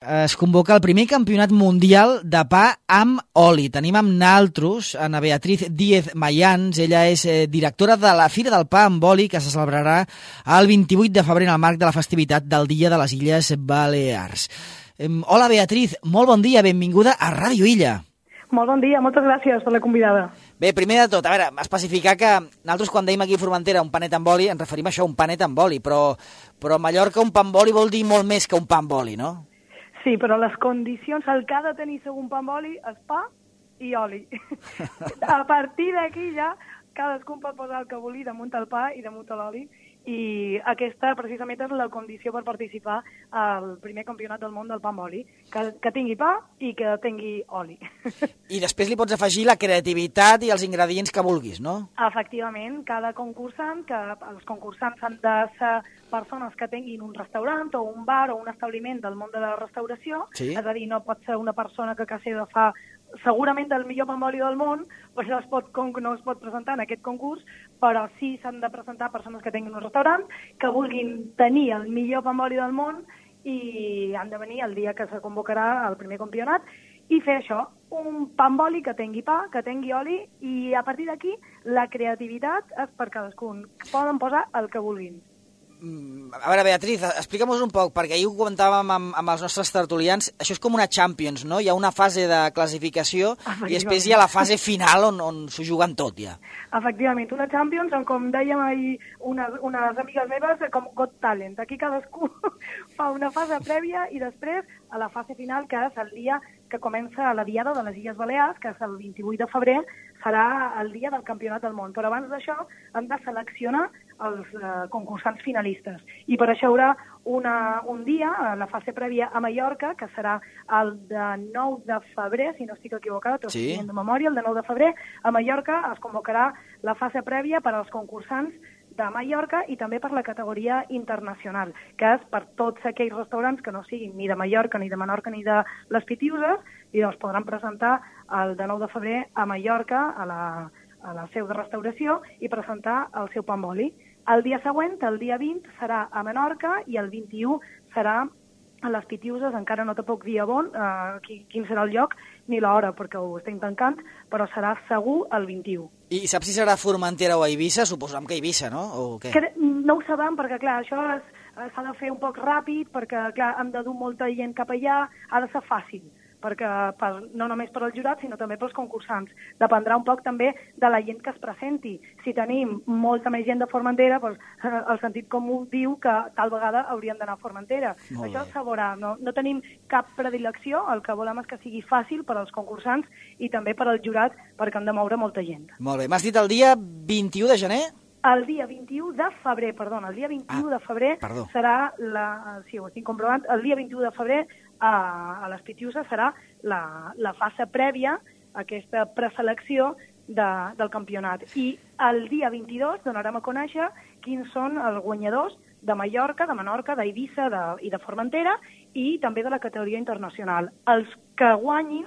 Es convoca el primer campionat mundial de pa amb oli. Tenim amb naltros Ana Beatriz Díez Mayans. Ella és directora de la Fira del Pa amb oli, que se celebrarà el 28 de febrer en el marc de la festivitat del Dia de les Illes Balears. Hola, Beatriz, molt bon dia, benvinguda a Ràdio Illa. Molt bon dia, moltes gràcies per la convidada. Bé, primer de tot, a veure, especificar que nosaltres quan dèiem aquí a Formentera un panet amb oli, ens referim a això, un panet amb oli, però a Mallorca un pa amb oli vol dir molt més que un pa amb oli, no? Sí, però les condicions, el que ha de tenir segon pa amb oli és pa i oli. A partir d'aquí ja cadascú pot posar el que vulgui damunt el pa i damunt l'oli, i aquesta precisament és la condició per participar al primer campionat del món del pa amb oli, que tingui pa i que tingui oli. I després li pots afegir la creativitat i els ingredients que vulguis, no? Efectivament, cada concursant, que els concursants han de ser persones que tinguin un restaurant o un bar o un establiment del món de la restauració, sí. És a dir, no pot ser una persona que quasi de fa segurament el millor pa amb oli del món, per això no es pot presentar en aquest concurs, però sí s'han de presentar persones que tinguin un restaurant, que vulguin tenir el millor pa amb oli del món i han de venir el dia que se convocarà el primer campionat i fer això, un pa amb oli que tingui pa, que tingui oli, i a partir d'aquí la creativitat és per cadascun. Poden posar el que vulguin. A veure, Beatriz, explica'm-nos un poc, perquè ahir ho comentàvem amb els nostres tertulians, això és com una Champions, no? Hi ha una fase de classificació i després hi ha la fase final on s'ho juguen tot, ja. Efectivament, una Champions, on, com dèiem ahir unes amigues meves, com Got Talent. Aquí cadascú fa una fase prèvia i després a la fase final, que és el dia que comença la Diada de les Illes Balears, que és el 28 de febrer, serà el dia del Campionat del Món. Però abans d'això hem de seleccionar els concursants finalistes. I per això hi haurà un dia, la fase prèvia a Mallorca, que serà el de 9 de febrer, si no estic equivocat, o sí. de memòria, el de 9 de febrer, a Mallorca es convocarà la fase prèvia per als concursants de Mallorca i també per la categoria internacional, que és per tots aquells restaurants que no siguin ni de Mallorca, ni de Menorca, ni de les Pitiüses, i doncs podran presentar el de 9 de febrer a Mallorca, a la seu de restauració, i presentar el seu pa amb oli. El dia següent, el dia 20, serà a Menorca i el 21 serà a les Pitiüses. Encara no te puc dir quin serà el lloc ni l'hora, perquè ho estem tancant, però serà segur el 21. I saps si serà a Formentera o a Eivissa? Suposem que a Eivissa, no? O què? No ho sabem, perquè, clar, això s'ha de fer un poc ràpid, perquè, clar, hem de dur molta gent cap allà, ha de ser fàcil, perquè no només per al jurat, sinó també pels concursants. Dependrà un poc també de la gent que es presenti. Si tenim molta més gent de Formentera, doncs, el sentit comú diu que tal vegada hauríem d'anar a Formentera. Això se veurà. No tenim cap predilecció, el que volem és que sigui fàcil per als concursants i també per al jurat, perquè han de moure molta gent. Molt bé. M'has dit el dia 21 de gener? El dia 21 de febrer, el dia 21 de febrer serà sí, ho estic comprovant, el dia 21 de febrer a les Pitiüses serà la fase prèvia, aquesta preselecció del campionat. I el dia 22 donarem a conèixer quins són els guanyadors de Mallorca, de Menorca, d'Eivissa i de Formentera, i també de la categoria internacional. Els que guanyin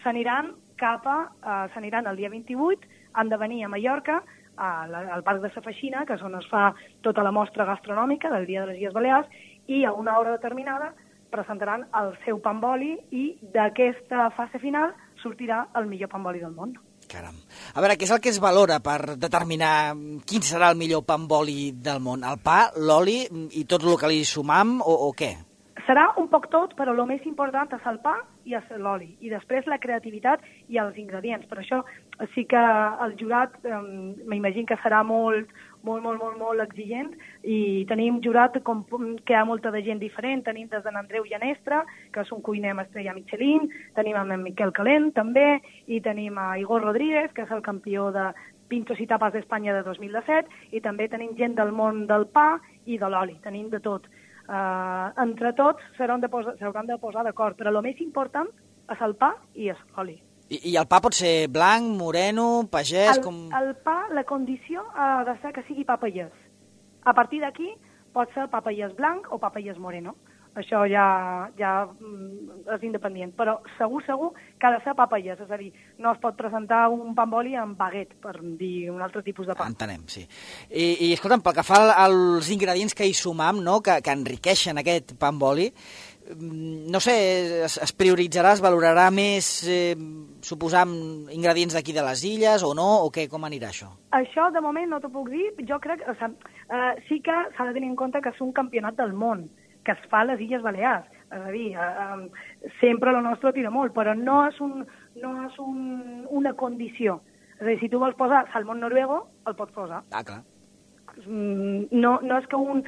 s'aniran el dia 28, han de venir a Mallorca, al Parc de la Feixina, que és on es fa tota la mostra gastronòmica del Dia de les Illes Balears, i a una hora determinada presentaran el seu pa amb oli i d'aquesta fase final sortirà el millor pa amb oli del món. Caram. A veure, què és el que es valora per determinar quin serà el millor pa amb oli del món? El pa, l'oli i tot el que li sumam o què? Serà un poc tot, però el més important és el pa i és l'oli, i després la creativitat i els ingredients. Per això sí que el jurat m'imagino que serà molt exigent, i tenim jurat que hi ha molta de gent diferent. Tenim des d'en Andreu Llanestra, que és un cuiner amb estrella Michelin, tenim en Miquel Calent també, i tenim a Igor Rodríguez, que és el campió de Pintos i Tapes d'Espanya de 2017, i també tenim gent del món del pa i de l'oli, tenim de tot. Entre tots s'hauran de posar d'acord, però el més important és el pa i és l'oli. I el pa pot ser blanc, moreno, pagès? El pa, la condició ha de ser que sigui pa pagès. A partir d'aquí pot ser pa pagès blanc o pa pagès moreno. Això ja és independent, però segur que ha de ser pa pagès, és a dir, no es pot presentar un pa amb oli amb baguette, per dir un altre tipus de pa. Entenem, sí. I escolta'm, pel que fa als ingredients que hi sumam, no?, que enriqueixen aquest pa amb oli, no sé, es prioritzarà, es valorarà més, suposam, ingredients d'aquí de les illes o no, o què, com anirà això? Això, de moment, no t'ho puc dir. Jo crec, sí que s'ha de tenir en compte que és un campionat del món, que es fa a les Illes Balears. És a dir, sempre la nostra tira molt, però no és una condició. És a dir, si tu vols posar salmón noruego, el pots posar. Ah, clar. No és que un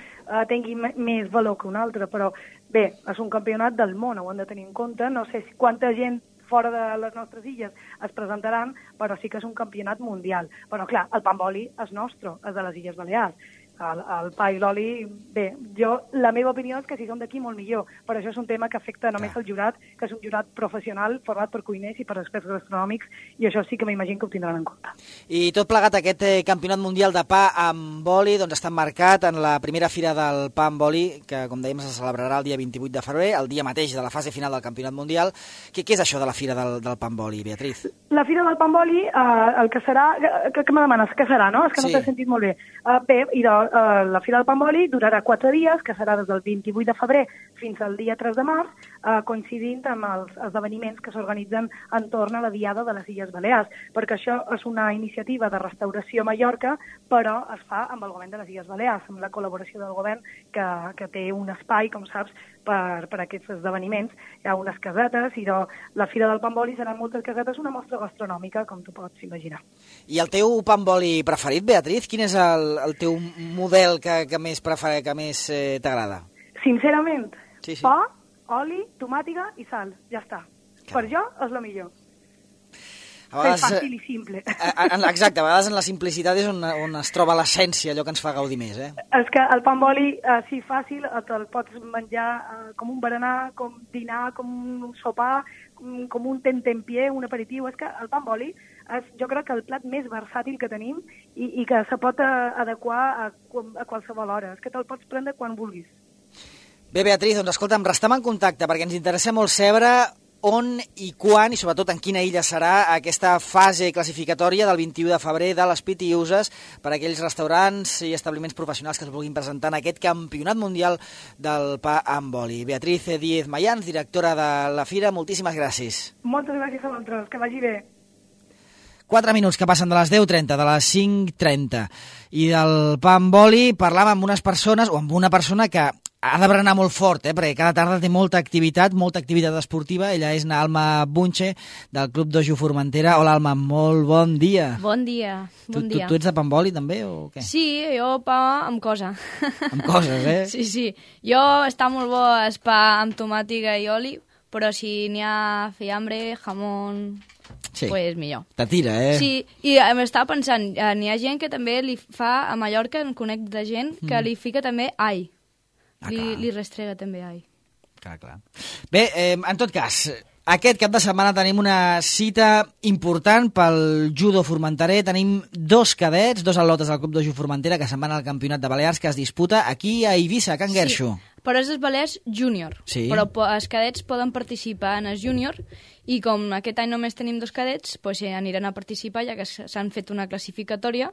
tingui més valor que un altre, però bé, és un campionat del món, ho hem de tenir en compte. No sé quanta gent fora de les nostres illes es presentaran, però sí que és un campionat mundial. Però clar, el pa amb oli és nostre, és de les Illes Balears. El pa i l'oli, bé, la meva opinió és que si som d'aquí molt millor, però això és un tema que afecta només el jurat, que és un jurat professional format per cuiners i per experts gastronòmics, i això sí que m'imagino que ho tindran en compte. I tot plegat, aquest campionat mundial de pa amb oli doncs està marcat en la primera fira del pa amb oli, que com dèiem se celebrarà el dia 28 de febrer, el dia mateix de la fase final del campionat mundial. Què és això de la fira del pa amb oli, Beatriz? La fira del pa amb oli, el que serà... Què me demanes? Què serà, no? És que no t'he sentit molt bé. Bé, la Fira del Pa amb Oli durarà 4 dies, que serà des del 28 de febrer fins al dia 3 de març, coincidint amb els esdeveniments que s'organitzen entorn a la Diada de les Illes Balears, perquè això és una iniciativa de restauració a Mallorca, però es fa amb el govern de les Illes Balears, amb la col·laboració del govern que té un espai, com saps, per aquests esdeveniments. Hi ha unes casetes, i la Fira del Pa amb Oli seran moltes casetes, una mostra gastronòmica, com tu pots imaginar. I el teu pa amb oli preferit, Beatriz? Quin és el teu model que més t'agrada? Sincerament, pa, oli, tomàtiga i sal, ja està. Per jo és el millor. És fàcil i simple. Exacte, a vegades en la simplicitat és on es troba l'essència, allò que ens fa gaudir més. És que el pa amb oli, sí, fàcil, te'l pots menjar com un berenar, com dinar, com un sopar, com un tentempié, un aperitiu. És que el pa amb oli és, jo crec que el plat més versàtil que tenim i que se pot adequar a qualsevol hora. És que te'l pots prendre quan vulguis. Bé, Beatriz, doncs escolta'm, restem en contacte perquè ens interessa molt saber on i quan, i sobretot en quina illa serà aquesta fase classificatòria del 21 de febrer de les Pitiüses per a aquells restaurants i establiments professionals que es vulguin presentar en aquest campionat mundial del pa amb oli. Beatriz Díez Mayans, directora de la Fira, moltíssimes gràcies. Moltes gràcies a vosaltres, que vagi bé. 4 minuts que passen de les 10:30, de les 5:30. I del pa amb oli parlàvem amb unes persones, o amb una persona que ha de berenar molt fort, perquè cada tarda té molta activitat esportiva. Ella és Alma Bunche, del Club Dojo Formentera. Hola, Alma, molt bon dia. Bon dia, bon dia. Tu ets de pa amb oli, també, o què? Sí, jo pa amb cosa. Amb coses, Sí. Jo està molt bo el pa amb tomàtiga i oli, però si n'hi ha fiambre, jamón... Sí, pues millor. Te tira, Sí, i m'estava pensant, n'hi ha gent que també li fa, a Mallorca en conec de gent que li fica també all. Li restrega també all. Clar. Bé, en tot cas, aquest cap de setmana tenim una cita important pel judo formenterer. Tenim 2 cadets, 2 atletes del Club Dojo Formentera que se'n van al Campionat de Balears que es disputa aquí a Eivissa, a Can Guerxo. Sí, però és els Balears júnior. Sí. Però els cadets poden participar en els júnior i com aquest any només tenim 2 cadets, doncs aniran a participar ja que s'han fet una classificatòria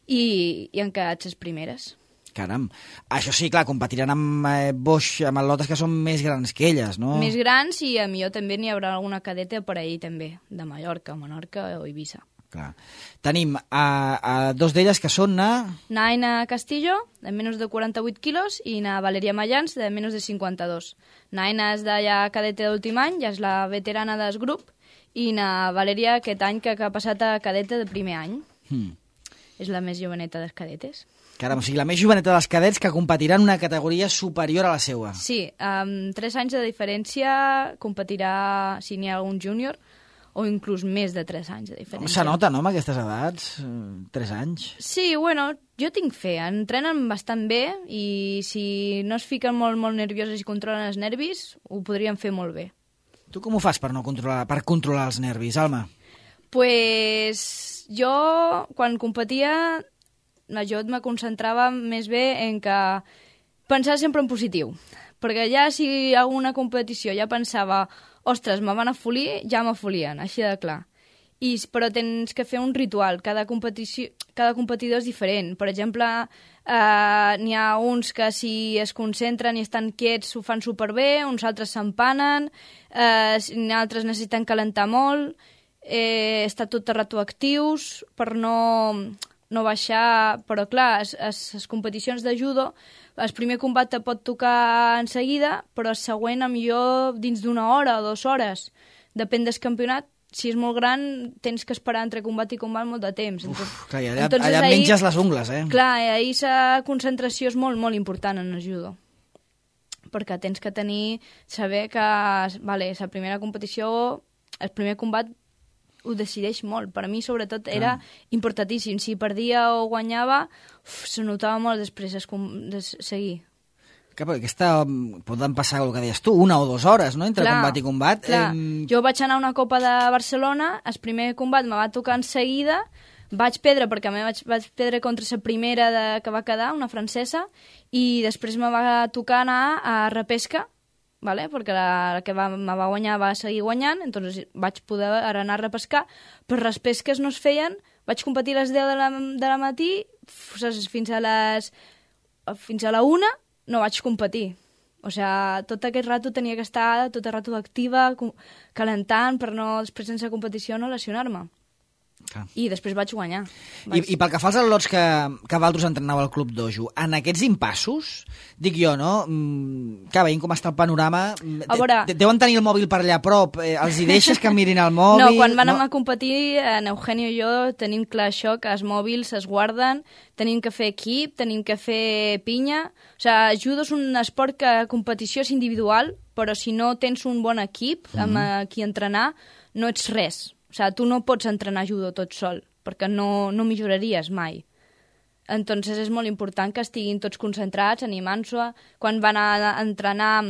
i han quedat les primeres. Caram, això sí, clar, competiran amb atletes que són més grans que elles, no? Més grans i a millor també n'hi haurà alguna cadeta per ahir també, de Mallorca, Menorca o Eivissa. Clar. Tenim a 2 d'elles que són na Aina Castillo, de menys de 48 quilos, i na Valeria Mayans, de menys de 52. Na Aina és de ja cadeta d'últim any, ja és la veterana del grup, i na Valeria aquest any que ha passat a cadeta de primer any. És la més joveneta dels cadetes. Caram, o sigui, la més joveneta dels cadets que competiran en una categoria superior a la seva. Sí, amb 3 anys de diferència competirà, si n'hi ha algun júnior, o inclús més de 3 anys de diferència. Se nota, no, amb aquestes edats? 3 anys? Sí, bueno, jo tinc fe. Entrenen bastant bé i si no es fiquen molt nervioses i controlen els nervis, ho podrien fer molt bé. Tu com ho fas per controlar els nervis, Alma? Pues jo, quan competia, jo me concentrava més bé en que pensar sempre en positiu. Perquè ja si alguna competició ja pensava ostres, me van afolir, ja m'afolien, així de clar. però tens que fer un ritual. Cada competidor és diferent. Per exemple, n'hi ha uns que si es concentren i estan quiets ho fan superbé, uns altres s'empanen, altres necessiten calentar molt, estar tot el rato actius per no baixar. Però clar, les competicions de judo, el primer combat te pot tocar en seguida, però el següent millor dins d'una hora o 2 hores. Depèn del campionat. Si és molt gran, tens que esperar entre combat i combat molt de temps. Clar, allà menges les ungles, Clar, ahir la concentració és molt, molt important en el judo. Perquè tens que saber que la primera competició, el primer combat ho decideix molt. Per a mi, sobretot, era importantíssim. Si perdia o guanyava, se notava molt després de seguir. Que poden passar el que deies tu, 1 o 2 hores, no?, entre combat i combat. Clar. Jo vaig anar a una Copa de Barcelona, el primer combat me va tocar en seguida, vaig perdre perquè vaig perdre contra la primera que va quedar, una francesa, i després me va tocar anar a repesca, ¿vale? Perquè la que me va guanyar va seguir guanyant, entonces vaig poder anar a repescar, però les pesques no es feien, vaig competir a les 10 de la matí, fins a la 1, no vaig competir. O sigui, tot aquest rato tenia que estar tot el rato activa, calentant, per no, després sense competició, no lesionar-me. I després vaig guanyar. I pel que fa als al·lots que Valtros entrenava al Club Dojo, en aquests impassos, dic jo, no? Que veient com està el panorama, deuen tenir el mòbil per allà a prop, els hi deixes que mirin el mòbil? No, quan van a competir, en Eugenio i jo tenim clar això, que els mòbils es guarden, tenim que fer equip, tenim que fer pinya. O sigui, judo és un esport que a competició és individual, però si no tens un bon equip amb qui entrenar, no ets res. O sigui, tu no pots entrenar judo tot sol, perquè no milloraries mai. Entonces és molt important que estiguin tots concentrats, animant-se. Quan van a entrenar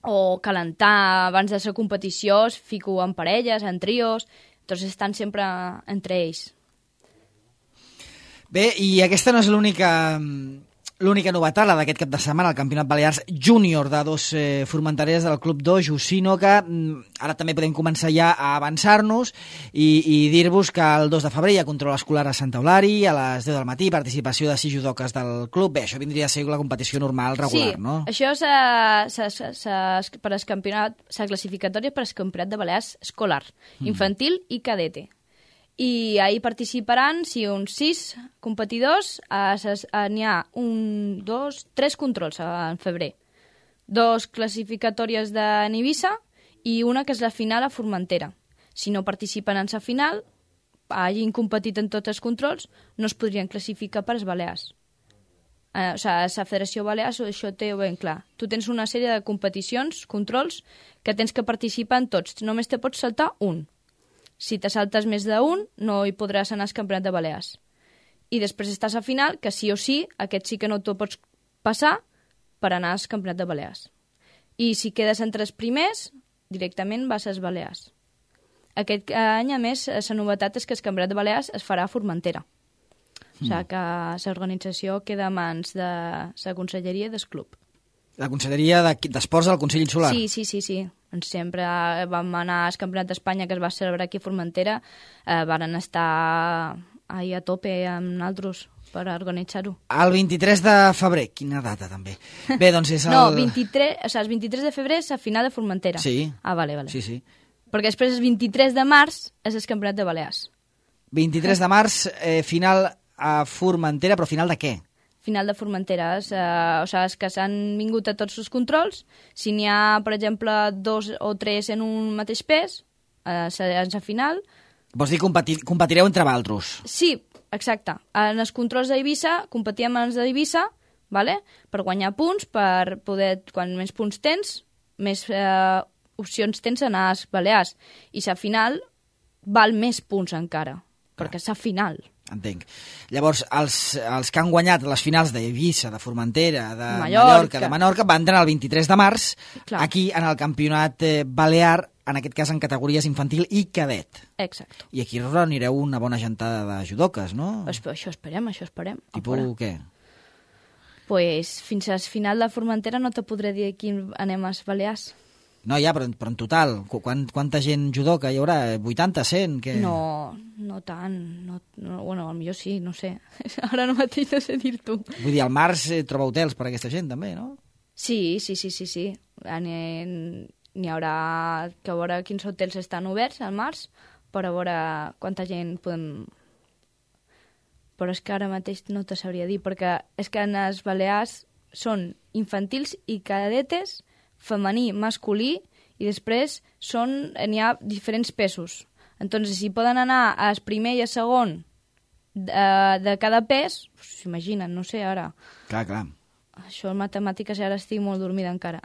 o calentar abans de la competició, es fico en parelles, en trios, entonces estan sempre entre ells. Bé, i aquesta no és l'única novetat, la d'aquest cap de setmana, el Campionat Balears Júnior de 2 formenteres del Club Dojo, sinó que ara també podem començar ja a avançar-nos i dir-vos que el 2 de febrer hi ha control escolar a Santa Eulària, a les 10 del matí, participació de 6 judoques del club. Bé, això vindria a ser la competició normal, regular, no? Sí, això per al campionat, la classificatòria per al Campionat de Balears escolar, infantil i cadete. I ahir participaran, uns 6 competidors, n'hi ha 3 controls en febrer. 2 classificatòries de Eivissa i una que és la final a Formentera. Si no participen en la final, hagin competit en tots els controls, no es podrien classificar per als Balears. O sigui, la Federació Balears això té ben clar. Tu tens una sèrie de competicions, controls, que tens que participar en tots. Només te pots saltar un. Si te saltes més d'un, no hi podràs anar al Campionat de Balears. I després estàs a final, que sí o sí, aquest sí que no t'ho pots passar per anar al Campionat de Balears. I si quedes entre els primers, directament vas als Balears. Aquest any, a més, la novetat és que el Campionat de Balears es farà a Formentera. O sigui que l'organització queda a mans de la Conselleria del Club. La Conselleria d'Esports del Consell Insular? Sí. Sempre vam anar al Campionat d'Espanya que es va celebrar aquí a Formentera, varen estar ahir a tope amb nosaltres per organitzar-ho. El 23 de febrer, quina data també. Bé, doncs és el... No, el 23 de febrer és la final de Formentera. Sí. Vale. Sí. Perquè després el 23 de març és el Campionat de Balears. 23 de març, final a Formentera, però final de què? Final de Formentera, o sigui, és que s'han vingut a tots els controls. Si n'hi ha, per exemple, 2 o 3 en un mateix pes, en la final... Vols dir competireu entre vosaltres? Sí, exacte. En els controls d'Eivissa competíem amb els d'Eivissa, ¿vale? Per guanyar punts, per poder, quan més punts tens, més opcions tens a anar als Balears. I la final val més punts encara, perquè és la final. Entenc. Llavors, els que han guanyat les finals d'Eivissa, de Formentera, de Mallorca, de Menorca, van entrar el 23 de març, aquí en el campionat balear, en aquest cas en categories infantil i cadet. Exacte. I aquí reunireu una bona gentada de judoques, no? Això esperem. Tipus què? Pues fins al final de Formentera no te podré dir aquí anem als Balears. No, ja, però en total, quanta gent judoka hi haurà? 80, 100? Que... No tant. Bueno, potser sí, no sé. Ara no mateix no sé dir-t'ho. Vull dir, al març troba hotels per a aquesta gent, també, no? Sí. N'hi haurà que veure quins hotels estan oberts al març per a veure quanta gent podem... Però és que ara mateix no te sabria dir, perquè és que en les Balears són infantils i cadetes, femení, masculí, i després n'hi ha diferents pesos. Entonces, si poden anar al primer i al segon de cada pes, s'imaginen, no sé, ara. Clar. Això en matemàtiques ara estic molt dormida encara.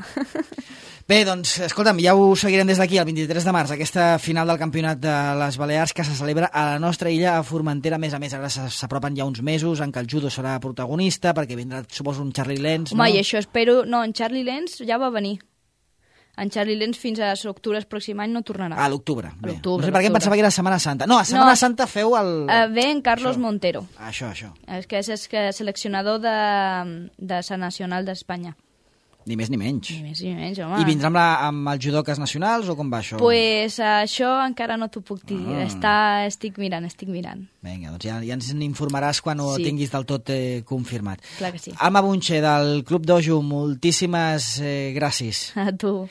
Bé, doncs, escolta'm, ja ho seguirem des d'aquí, el 23 de març, aquesta final del Campionat de les Balears que se celebra a la nostra illa, a Formentera. A més, ara s'apropen ja uns mesos en què el judo serà protagonista, perquè vindrà, suposo, un Charlie Lenz, no? Home, i això espero... No, en Charlie Lenz ja va venir. En Charlie Lenz fins a l'octubre del pròxim any no tornarà. A l'octubre. No sé per què em pensava que era Setmana Santa. No, a Setmana Santa feu el... Ve en Carlos Montero. Això. És que és seleccionador de la Nacional d'Espanya. Ni més ni menys. Ni més ni menys, home. I vindrà amb els judoques nacionals o com va això? Pues això encara no t'ho puc dir. Estic mirant. Vinga, doncs ja ens n'informaràs quan ho tinguis del tot confirmat. Clar que sí. Alma Bunche, del Club Dojo, moltíssimes gràcies. A tu.